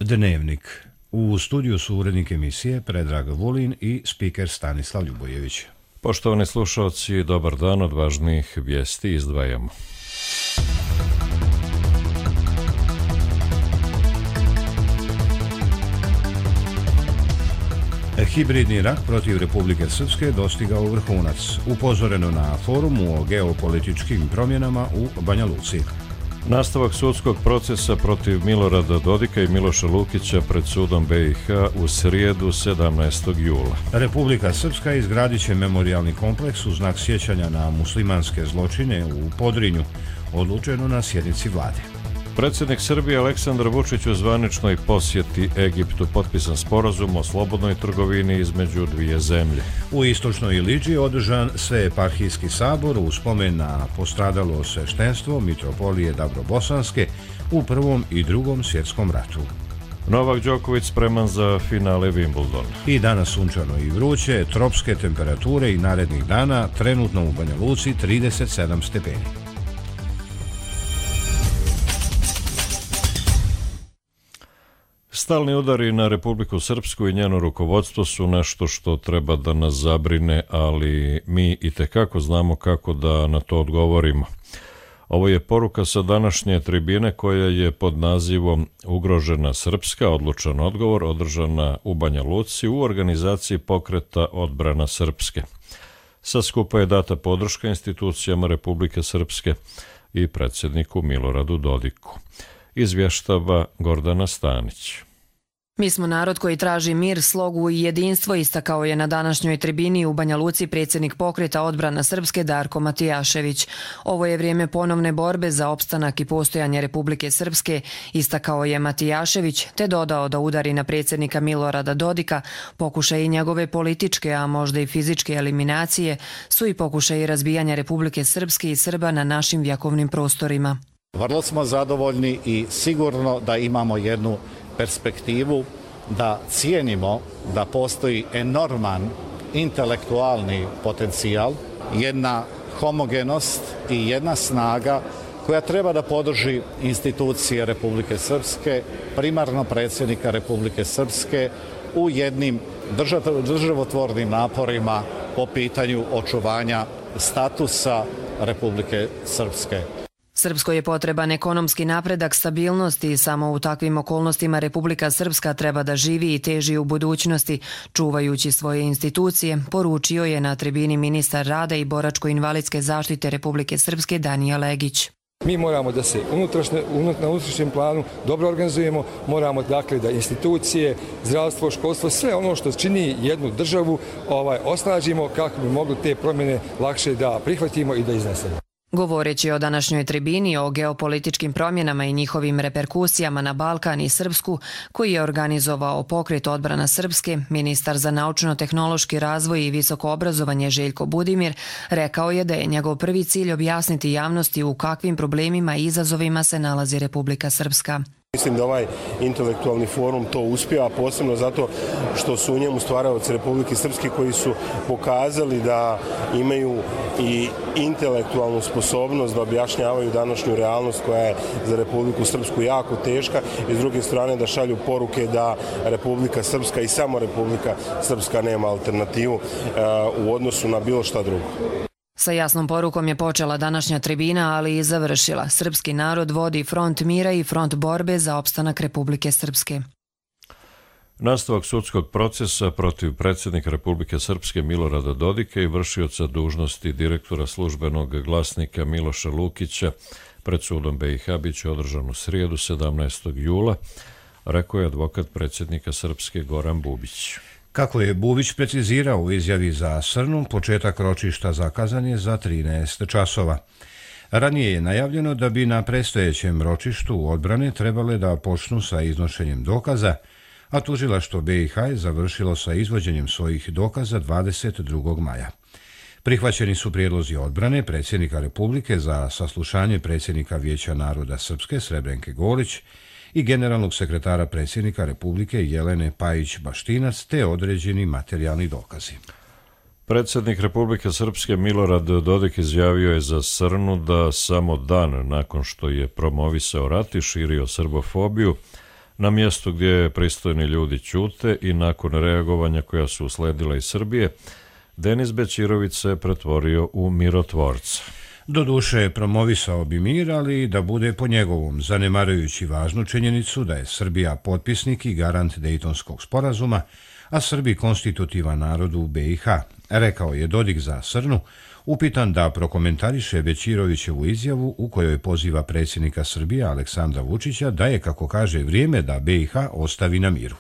Dnevnik. U studiju su urednik emisije Predrag Vulin i spiker Stanislav Ljubojević. Poštovani slušalci, dobar dan, od važnijih vijesti izdvajamo. Hibridni rat protiv Republike Srpske dostigao vrhunac. Upozoreno na forumu o geopolitičkim promjenama u Banja Luci. Nastavak sudskog procesa protiv Milorada Dodika i Miloša Lukića pred sudom BiH u srijedu 17. jula. Republika Srpska izgradit će memorijalni kompleks u znak sjećanja na muslimanske zločine u Podrinju, odlučeno na sjednici vlade. Predsjednik Srbije Aleksandar Vučić u zvaničnoj posjeti Egiptu potpisan sporazum o slobodnoj trgovini između dvije zemlje. U istočnoj Iliđi održan Sveeparhijski sabor u spomen na postradalo sveštenstvo mitropolije Dabrobosanske u Prvom i Drugom svjetskom ratu. Novak Đoković spreman za finale Wimbledona. I danas sunčano i vruće, tropske temperature i narednih dana, trenutno u Banja Luci 37 stepeni. Stalni udari na Republiku Srpsku i njeno rukovodstvo su nešto što treba da nas zabrine, ali mi itekako znamo kako da na to odgovorimo. Ovo je poruka sa današnje tribine koja je pod nazivom Ugrožena Srpska, odlučan odgovor, održana u Banja Luci u organizaciji pokreta Odbrana Srpske. Sa skupa je data podrška institucijama Republike Srpske i predsjedniku Miloradu Dodiku. Izvještava Gordana Stanić. Mi smo narod koji traži mir, slogu i jedinstvo, istakao je na današnjoj tribini u Banja Luci predsjednik pokreta Odbrana Srpske Darko Matijašević. Ovo je vrijeme ponovne borbe za opstanak i postojanje Republike Srpske, istakao je Matijašević, te dodao da udari na predsjednika Milorada Dodika, pokušaj i njegove političke, a možda i fizičke eliminacije, su i pokušaj razbijanja Republike Srpske i Srba na našim vjekovnim prostorima. Vrlo smo zadovoljni i sigurno da imamo jednu perspektivu, da cijenimo da postoji enorman intelektualni potencijal, jedna homogenost i jedna snaga koja treba da podrži institucije Republike Srpske, primarno predsjednika Republike Srpske u jednim državotvornim naporima po pitanju očuvanja statusa Republike Srpske. Srpskoj je potreban ekonomski napredak, stabilnost i samo u takvim okolnostima Republika Srpska treba da živi i teži u budućnosti, čuvajući svoje institucije, poručio je na tribini ministar rada i boračko-invalidske zaštite Republike Srpske Danija Legić. Mi moramo da se na unutrašnjem planu dobro organizujemo, moramo dakle da institucije, zdravstvo, školstvo, sve ono što čini jednu državu osnažimo kako bi mogli te promjene lakše da prihvatimo i da iznesemo. Govoreći o današnjoj tribini o geopolitičkim promjenama i njihovim reperkusijama na Balkan i Srpsku, koji je organizovao pokret Odbrana Srpske, ministar za naučno-tehnološki razvoj i visoko obrazovanje Željko Budimir rekao je da je njegov prvi cilj objasniti javnosti u kakvim problemima i izazovima se nalazi Republika Srpska. Mislim da ovaj intelektualni forum to uspijeva, posebno zato što su u njemu stvaraoci Republike Srpske koji su pokazali da imaju i intelektualnu sposobnost da objašnjavaju današnju realnost koja je za Republiku Srpsku jako teška i s druge strane da šalju poruke da Republika Srpska i samo Republika Srpska nema alternativu u odnosu na bilo šta drugo. Sa jasnom porukom je počela današnja tribina, ali i završila. Srpski narod vodi front mira i front borbe za opstanak Republike Srpske. Nastavak sudskog procesa protiv predsjednika Republike Srpske Milorada Dodika i vršioca dužnosti direktora službenog glasnika Miloša Lukića pred sudom BiH biće održan u srijedu 17. jula, rekao je advokat predsjednika Srpske Goran Bubić. Kako je Bubić precizirao u izjavi za Srnu, početak ročišta zakazan je za 13 časova. Ranije je najavljeno da bi na predstojećem ročištu odbrane trebale da počnu sa iznošenjem dokaza, a tužilaštvo BiH je završilo sa izvođenjem svojih dokaza 22. maja. Prihvaćeni su prijedlozi odbrane predsjednika Republike za saslušanje predsjednika Vijeća naroda Srpske Srebrenke Golić i generalnog sekretara predsjednika Republike Jelene Pajić-Baštinac te određeni materijalni dokazi. Predsjednik Republike Srpske Milorad Dodik izjavio je za Srnu da samo dan nakon što je promovisao rat i širio srbofobiju, Na mjestu gdje pristojni ljudi ćute i nakon reagovanja koja su usledila iz Srbije, Denis Bećirović se pretvorio u mirotvorca. Doduše, promovisao bi mir, ali da bude po njegovom, zanemarujući važnu činjenicu da je Srbija potpisnik i garant Dejtonskog sporazuma, a Srbi konstitutivan narod u BiH, rekao je Dodik za Srnu, upitan da prokomentariše Bećirovićevu izjavu u kojoj poziva predsjednika Srbije Aleksandra Vučića da je, kako kaže, vrijeme da BiH ostavi na miru.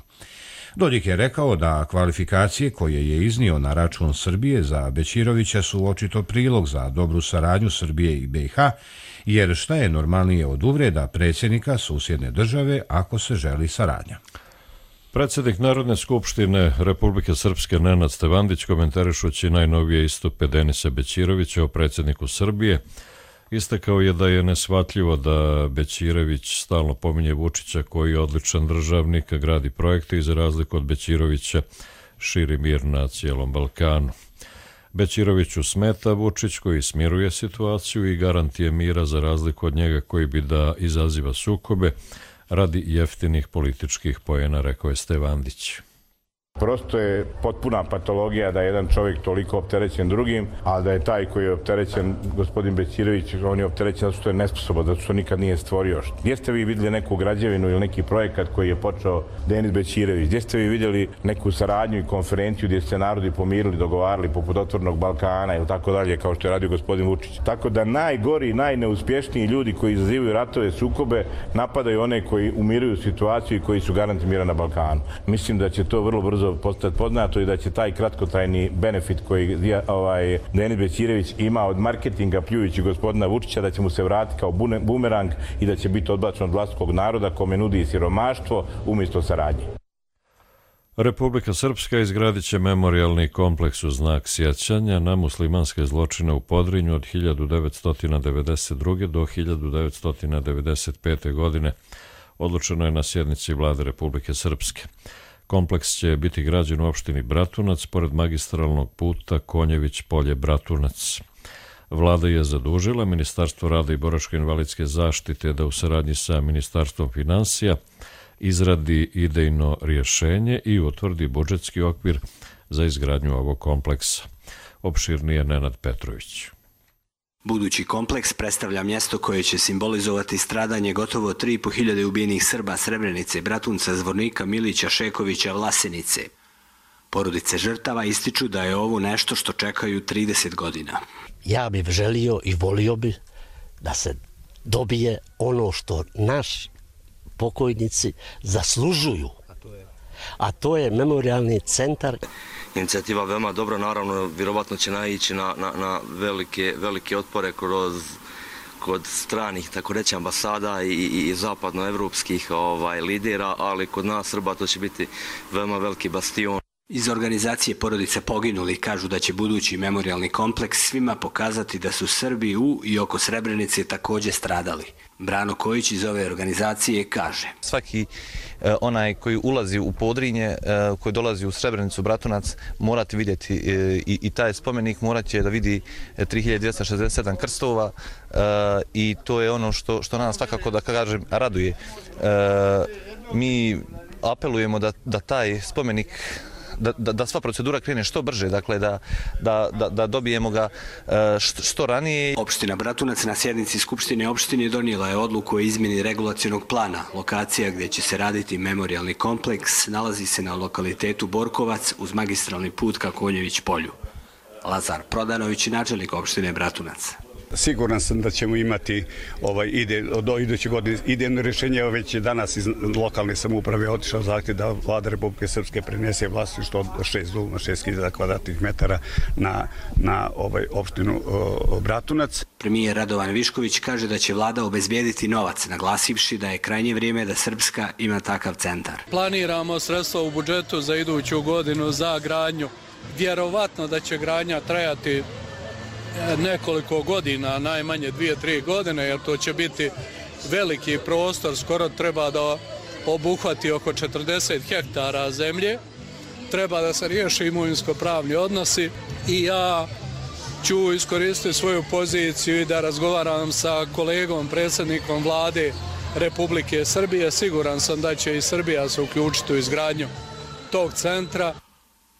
Dodik je rekao da kvalifikacije koje je iznio na račun Srbije za Bećirovića su očito prilog za dobru saradnju Srbije i BiH, jer šta je normalnije od uvreda predsjednika susjedne države ako se želi saradnja. Predsjednik Narodne skupštine Republike Srpske Nenad Stevandić, komentarišući najnovije istupe Denisa Bećirovića o predsjedniku Srbije, istakao je da je neshvatljivo da Bećirović stalno pominje Vučića koji je odličan državnik, gradi projekte i za razliku od Bećirovića širi mir na cijelom Balkanu. Bećiroviću smeta Vučić koji smiruje situaciju i garant je mira za razliku od njega koji bi da izaziva sukobe radi jeftinih političkih poena, rekao je Stevandić. Prosto je potpuna patologija da je jedan čovjek toliko opterećen drugim, a da je taj koji je opterećen, gospodin Bećirović, on je opterećen zato što je nesposoban, zato što nikad nije stvorio. Gdje ste vi vidjeli neku građevinu ili neki projekat koji je počeo Denis Bećirović? Gdje ste vi vidjeli neku saradnju i konferenciju gdje se narodi pomirili, dogovarali poput Otvorenog Balkana ili tako dalje, kao što je radio gospodin Vučić? Tako da najgori, najneuspješniji ljudi koji izazivaju ratove, sukobe, napadaju one koji umiruju situaciju i koji su garanti mira na Balkanu. Mislim da će to vrlo brzo postati poznato i da će taj kratkotrajni benefit koji Denis Bećirović ima od marketinga pljujući gospodina Vučića, da će mu se vratiti kao bumerang i da će biti odbačen od vlastitog naroda kome nudi siromaštvo umjesto saradnje. Republika Srpska izgradit će memorijalni kompleks u znak sjećanja na muslimanske zločine u Podrinju od 1992. do 1995. godine. Odlučeno je na sjednici Vlade Republike Srpske. Kompleks će biti građen u opštini Bratunac, pored magistralnog puta Konjević-Polje-Bratunac. Vlada je zadužila Ministarstvo rada i boračko-invalidske zaštite da u saradnji sa Ministarstvom finansija izradi idejno rješenje i utvrdi budžetski okvir za izgradnju ovog kompleksa. Opširnije Nenad Petrović. Budući kompleks predstavlja mjesto koje će simbolizovati stradanje gotovo 3.500 ubijenih Srba Srebrenice, Bratunca, Zvornika, Milića, Šekovića, Vlasenice. Porodice žrtava ističu da je ovo nešto što čekaju 30 godina. Ja bih želio i volio bi da se dobije ono što naš pokojnici zaslužuju, a to je memorijalni centar. Inicijativa veoma dobra, naravno, vjerovatno će naići na velike otpore kod stranih, tako reći, ambasada i zapadnoevropskih lidera, ali kod nas Srba to će biti veoma veliki bastion. Iz organizacije porodice poginuli kažu da će budući memorijalni kompleks svima pokazati da su Srbi u i oko Srebrenice također stradali. Brano Kojić iz ove organizacije kaže: Svaki onaj koji ulazi u Podrinje, koji dolazi u Srebrenicu, Bratunac, morati vidjeti i taj spomenik, morat će da vidi 3267 krstova i to je ono što nas svakako, da kažem, raduje. Mi apelujemo da taj spomenik, da sva procedura krene što brže, dakle da dobijemo ga što ranije. Opština Bratunac na sjednici Skupštine opštine donijela je odluku o izmjeni regulacionog plana. Lokacija gdje će se raditi memorijalni kompleks nalazi se na lokalitetu Borkovac uz magistralni put ka Konjević-Polju. Lazar Prodanović, načelnik opštine Bratunac. Siguran sam da ćemo imati do iduće godine idejno rješenje. Već je danas iz lokalne samouprave otišao zahtjev da Vlada Republike Srpske prenese vlasništvo od 6.000 kvadratnih metara na opštinu Bratunac. Premijer Radovan Višković kaže da će vlada obezbijediti novac, naglasivši da je krajnje vrijeme da Srpska ima takav centar. Planiramo sredstva u budžetu za iduću godinu za gradnju. Vjerovatno da će gradnja trajati nekoliko godina, najmanje 2-3 godine, jer to će biti veliki prostor, skoro treba da obuhvati oko 40 hektara zemlje, treba da se riješi imovinsko-pravni odnosi i ja ću iskoristiti svoju poziciju i da razgovaram sa kolegom, predsjednikom Vlade Republike Srbije. Siguran sam da će i Srbija se uključiti u izgradnju tog centra.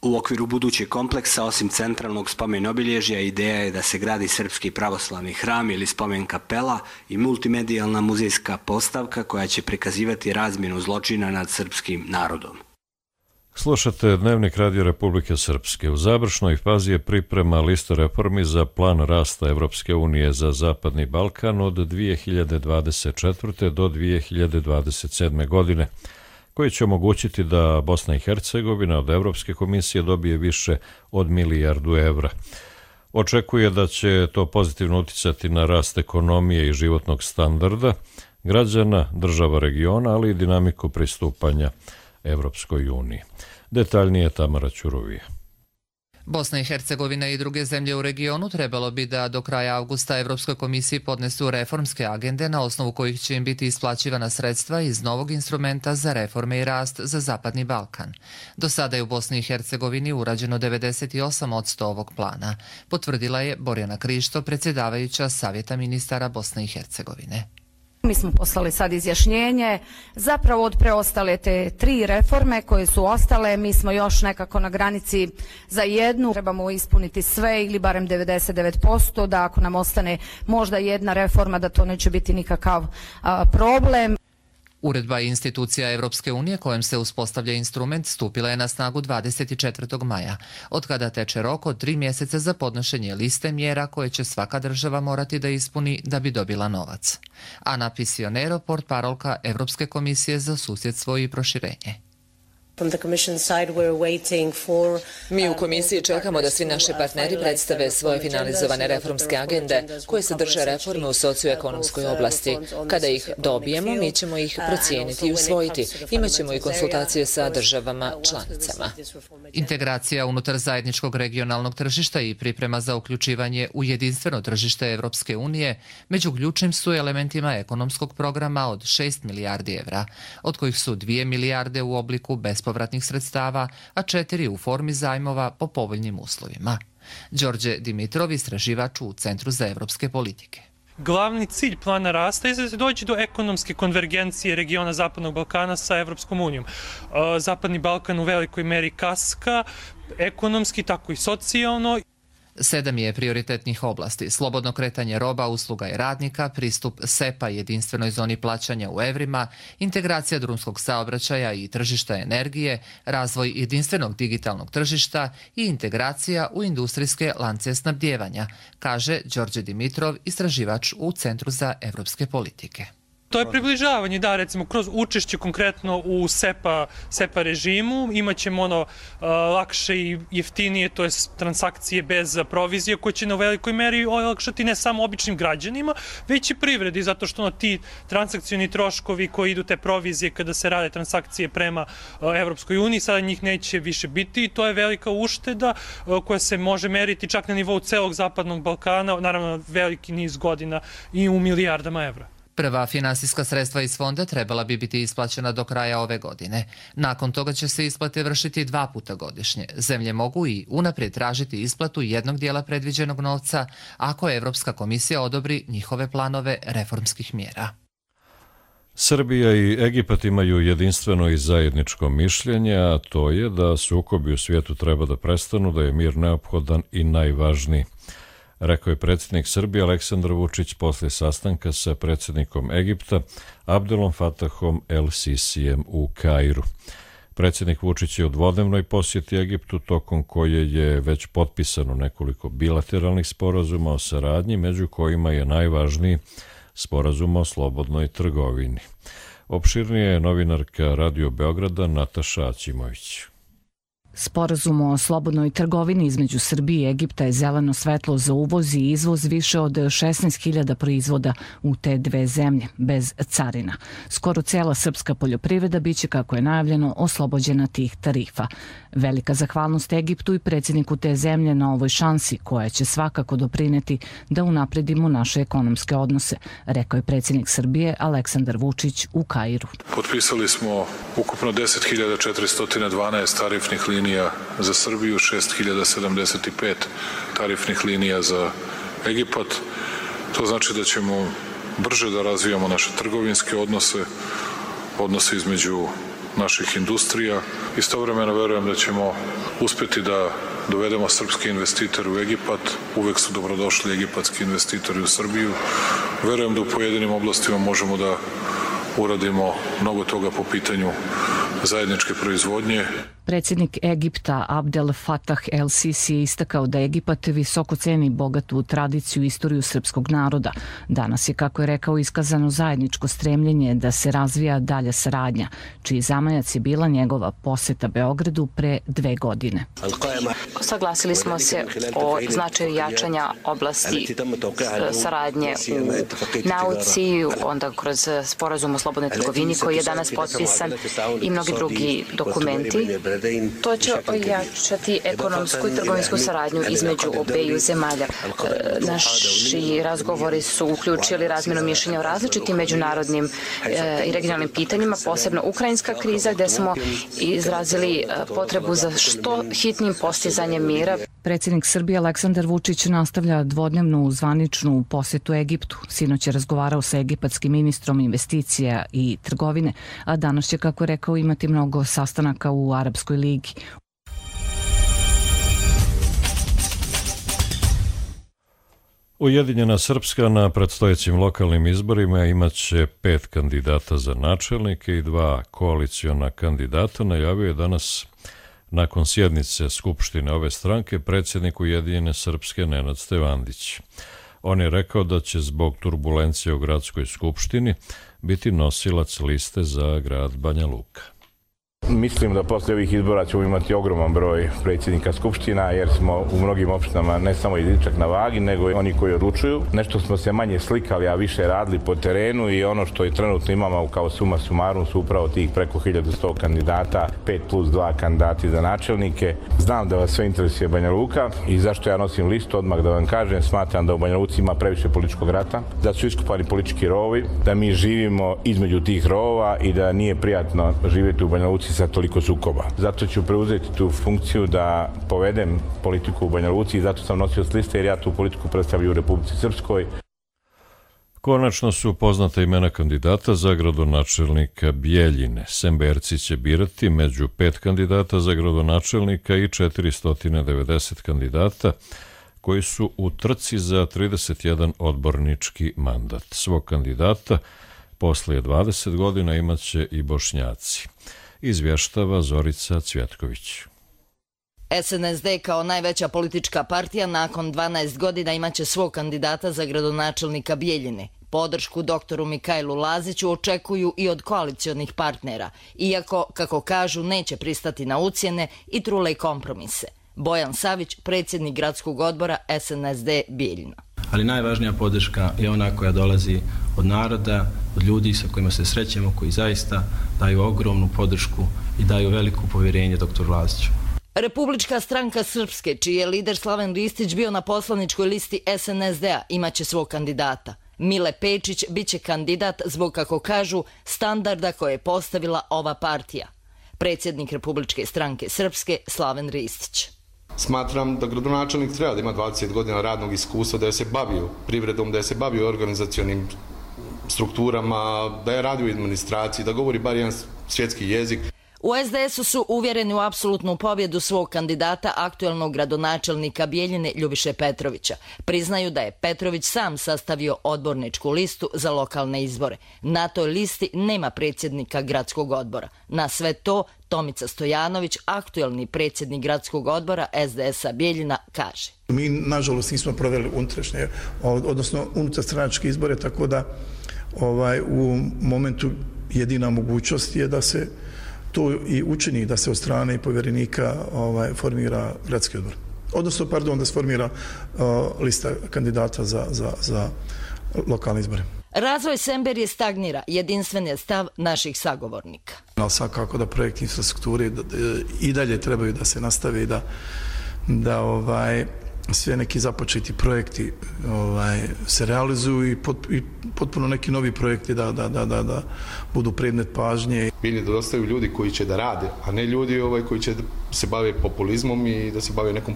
U okviru budućeg kompleksa, osim centralnog spomen obilježja, ideja je da se gradi srpski pravoslavni hram ili spomen kapela i multimedijalna muzejska postavka koja će prikazivati razmjenu zločina nad srpskim narodom. Slušate Dnevnik Radio Republike Srpske. U završnoj fazi je priprema lista reformi za plan rasta Evropske unije za Zapadni Balkan od 2024. do 2027. godine, koji će omogućiti da Bosna i Hercegovina od Evropske komisije dobije više od €1 milijardu. Očekuje da će to pozitivno uticati na rast ekonomije i životnog standarda građana, država regiona, ali i dinamiku pristupanja Evropskoj uniji. Detaljnije Tamara Ćurovija. Bosna i Hercegovina i druge zemlje u regionu trebalo bi da do kraja avgusta Evropskoj komisiji podnesu reformske agende na osnovu kojih će im biti isplaćivana sredstva iz novog instrumenta za reforme i rast za Zapadni Balkan. Do sada je u Bosni i Hercegovini urađeno 98% ovog plana, potvrdila je Borjana Krišto, predsjedavajuća Savjeta ministara Bosne i Hercegovine. Mi smo poslali sad izjašnjenje, zapravo od preostale te 3 reforme koje su ostale, mi smo još nekako na granici za jednu, trebamo ispuniti sve ili barem 99%, da ako nam ostane možda jedna reforma da to neće biti nikakav problem. Uredba institucija Evropske unije kojom se uspostavlja instrument stupila je na snagu 24. maja, od kada teče rok od 3 mjeseca za podnošenje liste mjera koje će svaka država morati da ispuni da bi dobila novac. Ana Pisionero, portparolka Evropske komisije za susjedstvo i proširenje. Mi u komisiji čekamo da svi naši partneri predstave svoje finalizovane reformske agende koje sadrže reforme u socioekonomskoj oblasti. Kada ih dobijemo, mi ćemo ih procijeniti i usvojiti. Imaćemo i konsultacije sa državama članicama. Integracija unutar zajedničkog regionalnog tržišta i priprema za uključivanje u jedinstveno tržište Evropske unije među ključnim su elementima ekonomskog programa od 6 milijardi evra, od kojih su 2 milijarde u obliku bespovratnih sredstava, a 4 u formi zajmova po povoljnim uslovima. Đorđe Dimitrov, istraživač u Centru za evropske politike. Glavni cilj plana rasta je da se dođe do ekonomske konvergencije regiona Zapadnog Balkana sa Evropskom unijom. Zapadni Balkan u velikoj meri kaska, ekonomski, tako i socijalno. 7 je prioritetnih oblasti: slobodno kretanje roba, usluga i radnika, pristup SEPA jedinstvenoj zoni plaćanja u evrima, integracija drumskog saobraćaja i tržišta energije, razvoj jedinstvenog digitalnog tržišta i integracija u industrijske lance snabdijevanja, kaže Đorđe Dimitrov, istraživač u Centru za evropske politike. To je približavanje, da, recimo kroz učešće konkretno u SEPA režimu imaćemo lakše i jeftinije, to je transakcije bez provizije koje će na velikoj meri olakšati ne samo običnim građanima, već i privredi, zato što ti transakcioni troškovi koji idu te provizije kada se rade transakcije prema Evropskoj uniji, sada njih neće više biti i to je velika ušteda koja se može meriti čak na nivou celog Zapadnog Balkana, naravno veliki niz godina i u milijardama evra. Prva finansijska sredstva iz fonda trebala bi biti isplaćena do kraja ove godine. Nakon toga će se isplate vršiti 2 puta godišnje. Zemlje mogu i unaprijed tražiti isplatu jednog dijela predviđenog novca ako Evropska komisija odobri njihove planove reformskih mjera. Srbija i Egipat imaju jedinstveno i zajedničko mišljenje, a to je da sukobi u svijetu treba da prestanu, da je mir neophodan i najvažniji. Rekao je predsjednik Srbije Aleksandar Vučić poslije sastanka sa predsjednikom Egipta Abdelom Fatahom El Sisijem u Kairu. Predsjednik Vučić je u dvodnevnoj posjeti Egiptu, tokom koje je već potpisano nekoliko bilateralnih sporazuma o saradnji, među kojima je najvažniji sporazum o slobodnoj trgovini. Opširnije je novinarka Radio Beograda Nataša Aćimović. Sporazum o slobodnoj trgovini između Srbije i Egipta je zeleno svetlo za uvoz i izvoz više od 16.000 proizvoda u te dve zemlje, bez carina. Skoro cijela srpska poljoprivreda biće, kako je najavljeno, oslobođena tih tarifa. Velika zahvalnost Egiptu i predsjedniku te zemlje na ovoj šansi, koja će svakako doprineti da unapredimo naše ekonomske odnose, rekao je predsjednik Srbije Aleksandar Vučić u Kairu. Potpisali smo ukupno 10.412 tarifnih linija za Srbiju, 6.075 tarifnih linija za Egipat. To znači da ćemo brže da razvijamo naše trgovinske odnose između naših industrija. Istovremeno verujem da ćemo uspeti da dovedemo srpske investitore u Egipat. Uvek su dobrodošli egipatski investitori u Srbiju. Verujem da u pojedinim oblastima možemo da uradimo mnogo toga po pitanju zajedničke proizvodnje. Predsjednik Egipta Abdel Fattah el-Sisi je istakao da Egipat visoko ceni bogatu tradiciju i istoriju srpskog naroda. Danas je, kako je rekao, iskazano zajedničko stremljenje da se razvija dalja saradnja, čiji zamajac je bila njegova poseta Beogradu pre 2 godine. Saglasili smo se o značaju jačanja oblasti saradnje u nauci, onda kroz sporazum o slobodnoj trgovini koji je danas potpisan i mnogi drugi dokumenti. To će ojačati ekonomsku i trgovinsku saradnju između obeju zemalja. Naši razgovori su uključili razmjenu mišljenja o različitim međunarodnim i regionalnim pitanjima, posebno ukrajinska kriza, gde smo izrazili potrebu za što hitnim postizanjem mira. Predsjednik Srbije Aleksandar Vučić nastavlja dvodnevnu zvaničnu posetu Egiptu. Sinoć je razgovarao sa egipatskim ministrom investicija i trgovine, a danas će, kako je rekao, imati mnogo sastanaka u Arapskoj ligi. Ujedinjena Srpska na predstojećim lokalnim izborima imaće 5 kandidata za načelnike i 2 koaliciona kandidata, najavio je danas nakon sjednice Skupštine ove stranke predsjednik Ujedinjene Srpske Nenad Stevandić. On je rekao da će zbog turbulencije u gradskoj skupštini biti nosilac liste za grad Banja Luka. Mislim da posle ovih izbora ćemo imati ogroman broj predsjednika skupština, jer smo u mnogim opštinama ne samo jedinčak na vagi, nego i oni koji odlučuju. Nešto smo se manje slikali, a više radili po terenu i ono što je trenutno imamo kao suma sumarum su upravo tih preko 1100 kandidata, 5+2 kandidati za načelnike. Znam da vas sve interesuje Banja Luka i zašto ja nosim listu, odmah da vam kažem, smatram da u Banja Luci ima previše političkog rata, da su iskopani politički rovovi, da mi živimo između tih rovova i da nije prijatno živjeti u Banja Luci sa toliko sukoba. Zato ću preuzeti tu funkciju da povedem politiku u Banja Luci i zato sam nosio s liste jer ja tu politiku predstavljam u Republici Srpskoj. Konačno su poznata imena kandidata za gradonačelnika Bijeljine. Semberci će birati među 5 kandidata za gradonačelnika i 490 kandidata koji su u trci za 31 odbornički mandat. Svog kandidata poslije 20 godina imaće i Bošnjaci. Izvještava Zorica Cvjetković. SNSD kao najveća politička partija nakon 12 godina imaće svog kandidata za gradonačelnika Bijeljine. Podršku doktoru Mikajlu Laziću očekuju i od koalicionih partnera, iako, kako kažu, neće pristati na ucjene i trule kompromise. Bojan Savić, predsjednik gradskog odbora SNSD Bijeljina. Ali najvažnija podrška je ona koja dolazi od naroda, od ljudi sa kojima se srećemo, koji zaista daju ogromnu podršku i daju veliko povjerenje doktoru Laziću. Republička stranka Srpske, čiji je lider Slaven Ristić bio na poslaničkoj listi SNSD-a, imaće svog kandidata. Mile Pečić biće kandidat zbog, kako kažu, standarda koje je postavila ova partija. Predsjednik Republičke stranke Srpske Slaven Ristić. Smatram da gradonačelnik treba da ima 20 godina radnog iskustva, da je se bavio privredom, da je se bavio organizacionim strukturama, da je radio u administraciji, da govori bar jedan svjetski jezik. U SDS-u su uvjereni u apsolutnu pobjedu svog kandidata, aktuelnog gradonačelnika Bijeljine Ljubiše Petrovića. Priznaju da je Petrović sam sastavio odborničku listu za lokalne izbore. Na toj listi nema predsjednika gradskog odbora. Na sve to Tomica Stojanović, aktuelni predsjednik gradskog odbora SDS-a Bijeljina, kaže. Mi, nažalost, nismo proveli unutrašnje, odnosno unutarstranačke izbore, tako da u momentu jedina mogućnost je da se to i učini, da se od strane i povjerenika formira gradski odbor. Odnosno, da se formira lista kandidata za lokalne izbore. Razvoj Semberije stagnira, jedinstven je stav naših sagovornika. Ali svakako da projekti infrastrukture i dalje trebaju da se nastave i da sve neki započeti projekti se realizuju i potpuno neki novi projekti da budu predmet pažnje. Biljni da dostaju ljudi koji će da rade, a ne ljudi koji će se bave populizmom i da se bave nekom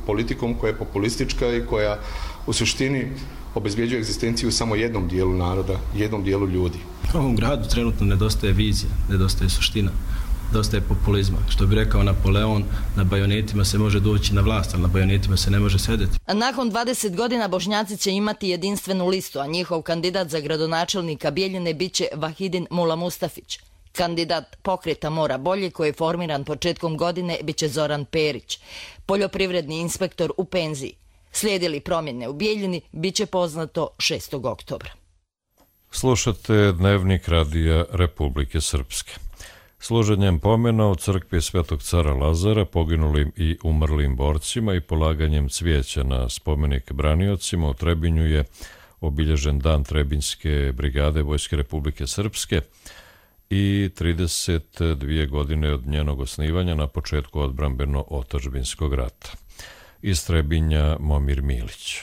politikom koja je populistička i koja u suštini obezbjeđuje egzistenciju samo jednom dijelu naroda, jednom dijelu ljudi. Ovom gradu trenutno nedostaje vizija, nedostaje suština, nedostaje populizma. Što bi rekao Napoleon, na bajonetima se može doći na vlast, ali na bajonetima se ne može sedeti. Nakon 20 godina Bošnjaci će imati jedinstvenu listu, a njihov kandidat za gradonačelnika Bijeljine biće Vahidin Mula Mustafić. Kandidat Pokreta Mora bolje, koji je formiran početkom godine, biće Zoran Perić, poljoprivredni inspektor u penziji. Slijedili promjene u Bijeljini, biće poznato 6. oktobra. Slušate Dnevnik Radija Republike Srpske. Služenjem pomena u crkvi Svetog cara Lazara poginulim i umrlim borcima i polaganjem cvijeća na spomenik braniocima u Trebinju je obilježen dan Trebinjske brigade Vojske Republike Srpske i 32 godine od njenog osnivanja na početku odbrambeno-otadžbinskog rata. Iz Trebinja Momir Milić.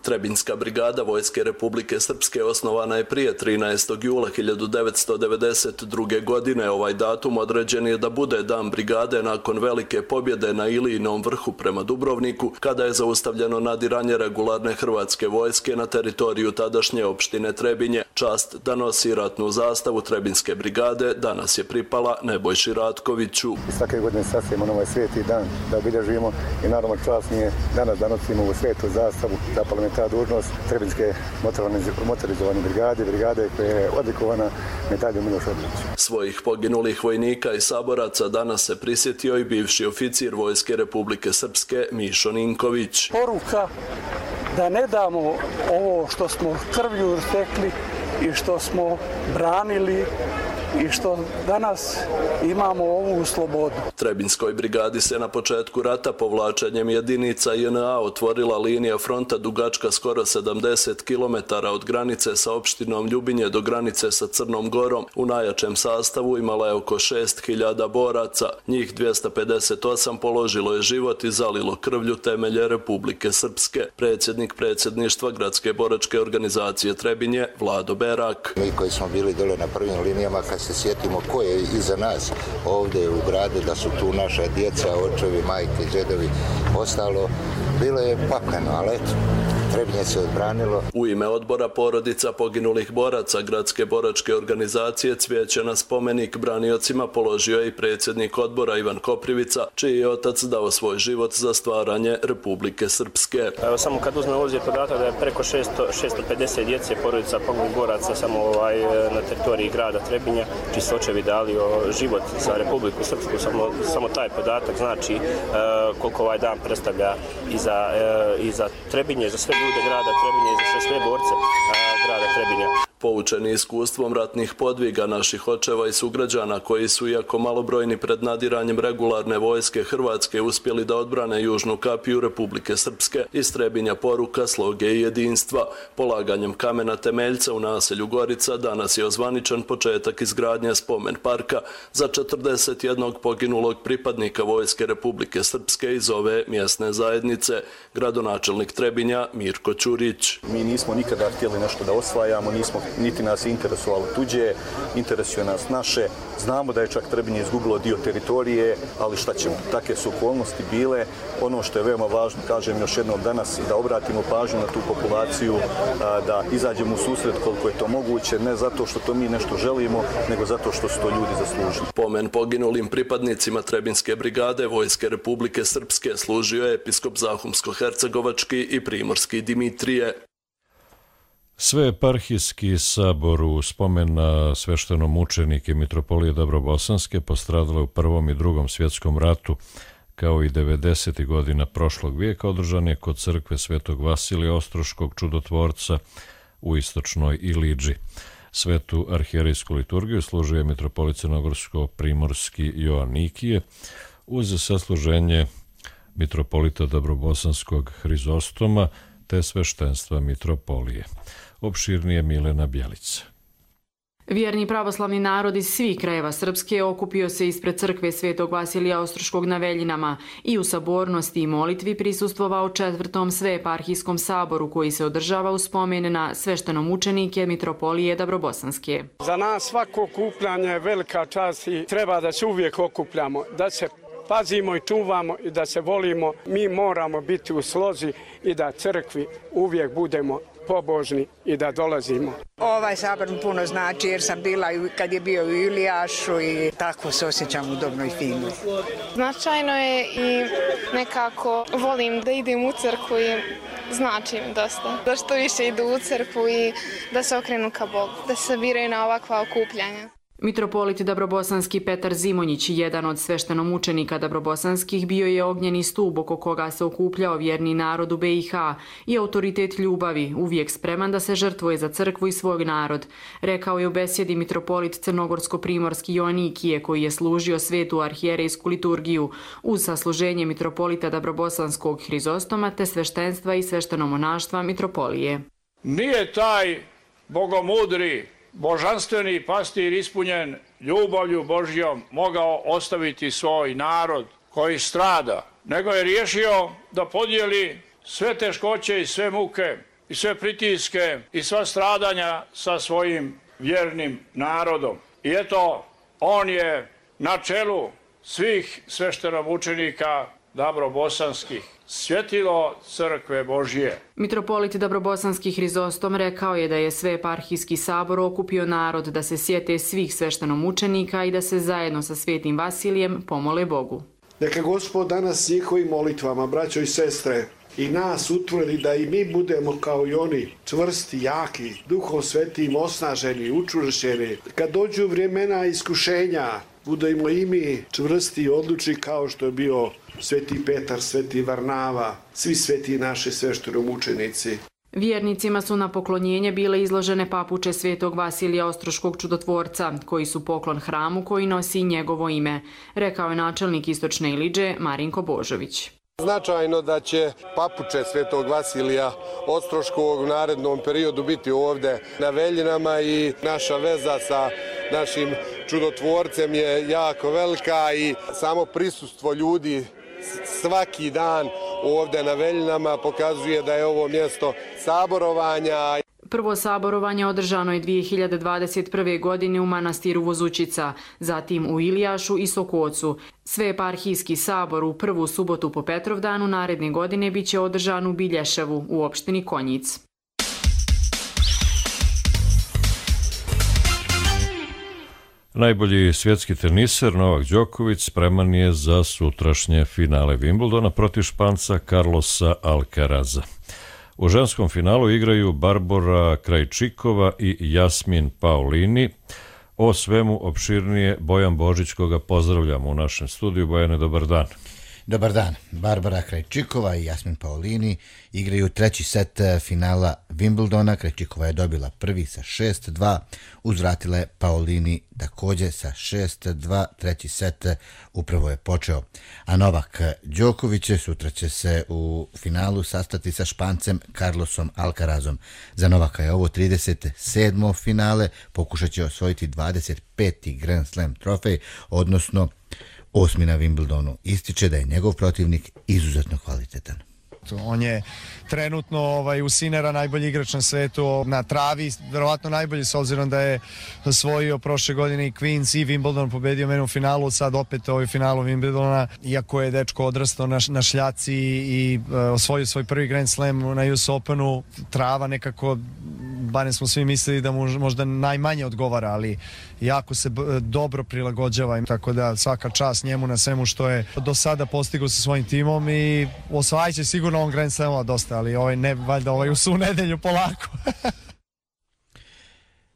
Trebinjska brigada Vojske Republike Srpske osnovana je prije 13. jula 1992. godine. Ovaj datum određen je da bude dan brigade nakon velike pobjede na Ilijinom vrhu prema Dubrovniku, kada je zaustavljeno nadiranje regularne hrvatske vojske na teritoriju tadašnje opštine Trebinje. Čast da nosi ratnu zastavu Trebinjske brigade danas je pripala Nebojši Ratkoviću. Svake godine sasvijemo na ovaj sveti dan da obilježimo i naravno čast nije danas da nosimo ovu svetu zastavu, zapalimo ta dužnost Trebinjske motorizovane brigade koja je odlikovana medaljom Miloš Obilić. Svojih poginulih vojnika i saboraca danas se prisjetio i bivši oficir Vojske Republike Srpske Mišo Ninković. Poruka da ne damo ovo što smo krvlju stekli i što smo branili i što danas imamo ovu slobodu. Trebinjskoj brigadi se na početku rata povlačenjem jedinica JNA otvorila linija fronta dugačka skoro 70 km od granice sa opštinom Ljubinje do granice sa Crnom Gorom. U najjačem sastavu imala je oko 6000 boraca. Njih 258 položilo je život i zalilo krvlju temelje Republike Srpske. Predsjednik predsjedništva Gradske boračke organizacije Trebinje Vlado Berak. Mi koji smo bili dole na prvim linijama, kad se sjetimo ko je iza nas ovdje u gradu, da su tu naša djeca, očevi, majke, džedovi, ostalo, bilo je pakano, ali eto, Trebinje se odbranilo. U ime odbora porodica poginulih boraca Gradske boračke organizacije cvijeće na spomenik braniocima položio je i predsjednik odbora Ivan Koprivica, čiji je otac dao svoj život za stvaranje Republike Srpske. Evo, samo kad uzmemo obzir podatak da je preko 650 djece porodica poginulih boraca samo na teritoriji grada Trebinja, čiji su očevi dali život za Republiku Srpsku, samo taj podatak znači koliko ovaj dan predstavlja i za Trebinje, za sve ljude grada Trebinje i za sve borce grada Trebinja. Poučeni iskustvom ratnih podviga naših očeva i sugrađana koji su, iako malobrojni pred nadiranjem regularne vojske Hrvatske, uspjeli da odbrane južnu kapiju Republike Srpske, iz Trebinja poruka sloge i jedinstva. Polaganjem kamena temeljca u naselju Gorica danas je ozvaničan početak izgradnje spomen parka za 41 poginulog pripadnika Vojske Republike Srpske iz ove mjesne zajednice, gradonačelnik Trebinja Mirko Ćurić. Mi nismo nikada htjeli nešto da osvajamo, niti nas je interesovalo tuđe, interesuje nas naše. Znamo da je čak Trebinje izgubilo dio teritorije, ali šta ćemo, takve su okolnosti bile. Ono što je veoma važno, kažem još jednom danas, da obratimo pažnju na tu populaciju, da izađemo u susret koliko je to moguće, ne zato što to mi nešto želimo, nego zato što su to ljudi zaslužili. Pomen poginulim pripadnicima Trebinjske brigade Vojske Republike Srpske služio je episkop Zahumsko-hercegovački i primorski Dimitrije. Sveeparhijski sabor u spomen na sveštenomučenike mitropolije Dabrobosanske postradale u Prvom i Drugom svjetskom ratu, kao i 90. godina prošlog vijeka, održan je kod crkve Svetog Vasilija Ostroškog čudotvorca u istočnoj Ilidži. Svetu arhijerejsku liturgiju služio je mitropolit Crnogorsko-primorski Joan Nikije uz sasluženje mitropolita Dabrobosanskog Hrizostoma te sveštenstva mitropolije. Opširnije Milena Bjelica. Vjerni pravoslavni narod iz svih krajeva Srpske okupio se ispred crkve Svetog Vasilija Ostroškog na Veljinama i u sabornosti i molitvi prisustvovao 4. sveeparhijskom saboru koji se održava u spomen na sveštenomučenike mitropolije Dabrobosanske. Za nas svako okupljanje je velika čast i treba da se uvijek okupljamo, da se pazimo i čuvamo i da se volimo, mi moramo biti u slozi i da crkvi uvijek budemo pobožni i da dolazimo. Ovaj sabor mi puno znači jer sam bila kad je bio u Ilijašu i tako se osjećam udobno i fino. Značajno je i nekako volim da idem u crkvu i znači mi dosta. Da što više idu u crkvu i da se okrenu ka Bogu, da se sabiraju na ovakva okupljanja. Mitropolit Dabrobosanski Petar Zimonjić, jedan od sveštenomučenika Dabrobosanskih, bio je ognjeni stub oko koga se okupljao vjerni narod u BiH i autoritet ljubavi, uvijek spreman da se žrtvuje za crkvu i svoj narod, rekao je u besjedi mitropolit Crnogorsko-primorski Joanikije, koji je služio svetu arhijerejsku liturgiju uz sasluženje mitropolita Dabrobosanskog Hrizostoma te sveštenstva i sveštenomonaštva mitropolije. Nije taj bogomudri božanstveni pastir ispunjen ljubavlju Božjom mogao ostaviti svoj narod koji strada, nego je riješio da podijeli sve teškoće i sve muke i sve pritiske i sva stradanja sa svojim vjernim narodom. I eto, on je na čelu svih sveštenomučenika Dabrobosanskih, svjetilo crkve Božje. Mitropolit Dabrobosanski Hrizostom rekao je da je Sveeparhijski sabor okupio narod da se sjete svih sveštenomučenika i da se zajedno sa svetim Vasilijem pomole Bogu. Neka Gospod danas njihovim molitvama, braćo i sestre, i nas utvrdi da i mi budemo kao i oni, čvrsti, jaki, Duhom Svetim osnaženi, učvršćeni. Kad dođu vremena iskušenja, budemo i mi čvrsti i odlučni kao što je bio Sveti Petar, Sveti Varnava, svi sveti naši sveštenomučenici. Vjernicima su na poklonjenje bile izložene papuče svetog Vasilija Ostroškog čudotvorca, koji su poklon hramu koji nosi njegovo ime, rekao je načelnik Istočne Ilidže Marinko Božović. Značajno da će papuče svetog Vasilija Ostroškog u narednom periodu biti ovdje na Veljinama i naša veza sa našim čudotvorcem je jako velika i samo prisustvo ljudi svaki dan ovdje na Veljinama pokazuje da je ovo mjesto saborovanja. Prvo saborovanje održano je 2021. godine u manastiru Vozućica, zatim u Ilijašu i Sokocu. Sveeparhijski sabor u prvu subotu po Petrovdanu naredne godine biće održan u Bilješevu u opštini Konjic. Najbolji svjetski teniser Novak Đoković spreman je za sutrašnje finale Wimbledona protiv Španca Carlosa Alcaraza. U ženskom finalu igraju Barbora Krajčikova i Jasmin Paolini. O svemu opširnije Bojan Božić, koga pozdravljamo u našem studiju. Bojane, dobar dan. Dobar dan. Barbara Krajčikova i Jasmin Paolini igraju treći set finala Wimbledona. Krajčikova je dobila prvi sa 6-2, uzvratila je Paolini također sa 6-2, treći set upravo je počeo. A Novak Đoković sutra će se u finalu sastati sa Špancem Carlosom Alcarazom. Za Novaka je ovo 37. finale, pokušat će osvojiti 25. Grand Slam trofej, odnosno 8. na Wimbledonu. Ističe da je njegov protivnik izuzetno kvalitetan. On je trenutno u Sinera najbolji igrač na svetu, na travi verovatno najbolji, s obzirom da je osvojio prošle godine i Queens i Wimbledon, pobedio mene u finalu, sad opet finalu Wimbledona, iako je dečko odrastao na šljaci i osvojio svoj prvi Grand Slam na US Openu. Trava nekako, barem smo svi mislili da mu možda najmanje odgovara, ali jako se dobro prilagođava, tako da svaka čast njemu na svemu što je do sada postigao sa svojim timom i osvajat će sigurno on Grand Slamova dosta, ali ne valjda u svu nedelju polako.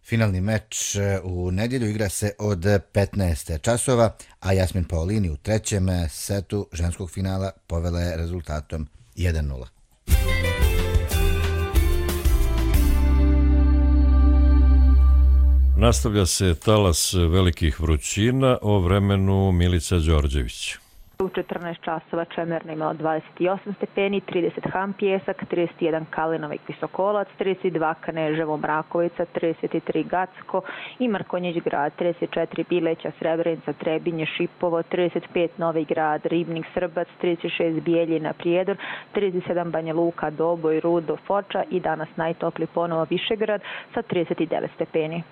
Finalni meč u nedjelju igra se od 15 časova, a Jasmin Paolini u trećem setu ženskog finala povela je rezultatom 1-0. Nastavlja se talas velikih vrućina, o vremenu Milica Đorđević. U 14 časova Čemerna imala 28 stepeni, 30 Ham Pjesak, 31 Kalinovik Visokolac, 32 Kneževo Mrakovica, 33 Gacko i Mrkonjić grad, 34 Bileća, Srebrenica, Trebinje, Šipovo, 35 Novi grad, Ribnik, Srbac, 36 Bijeljina, Prijedor, 37 Banja Luka, Doboj, Rudo, Foča i danas najtopli ponovo Višegrad sa 39 stepeni.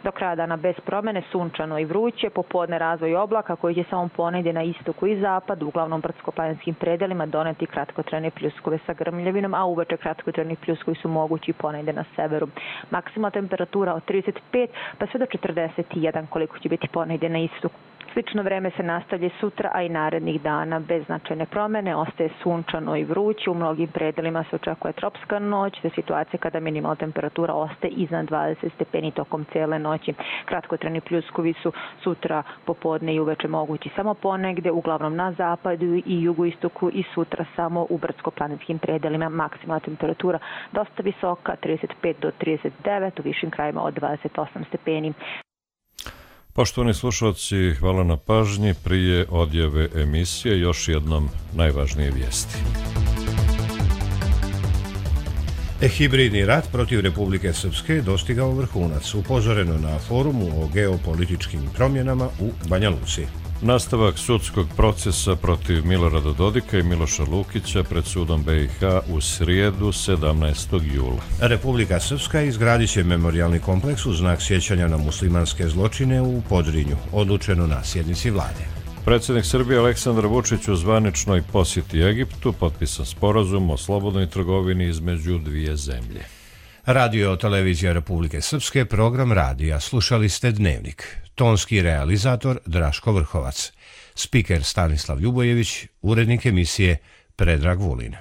Do kraja dana bez promene, sunčano i vruće, popodne razvoj oblaka koji će samo ponegdje na istoku i zapadu, uglavnom brdsko-planinskim predelima doneti kratkotrajne pljuskove sa grmljavinom, a uveče kratkotrajni pljuskovi su mogući ponegdje na severu. Maksimalna temperatura od 35 pa sve do 41 koliko će biti ponegdje na istoku. Slično vreme se nastavlja sutra, a i narednih dana bez značajne promene. Ostaje sunčano i vruće, u mnogim predelima se očekuje tropska noć, te situacija kada minimalna temperatura ostaje iznad 20 stepeni tokom cijele noći. Kratkotrajni pljuskovi su sutra popodne i uveče mogući samo ponegde, uglavnom na zapadu i jugoistoku, i sutra samo u brdsko-planinskim predelima. Maksimalna temperatura dosta visoka, 35 do 39, u višim krajima od 28 stepeni. Poštovani slušalci, hvala na pažnji. Prije odjave emisije još jednom najvažnije vijesti. Hibridni rat protiv Republike Srpske dostigao vrhunac, upozoreno na forumu o geopolitičkim promjenama u Banja Luci. Nastavak sudskog procesa protiv Milorada Dodika i Miloša Lukića pred sudom BiH u srijedu 17. jula. Republika Srpska izgradit će memorijalni kompleks u znak sjećanja na muslimanske zločine u Podrinju, odlučeno na sjednici vlade. Predsjednik Srbije Aleksandar Vučić u zvaničnoj posjeti Egiptu potpisan sporazum o slobodnoj trgovini između dvije zemlje. Radio televizija Republike Srpske, program radija. Slušali ste Dnevnik. Tonski realizator Draško Vrhovac. Spiker Stanislav Ljubojević, urednik emisije Predrag Vulin.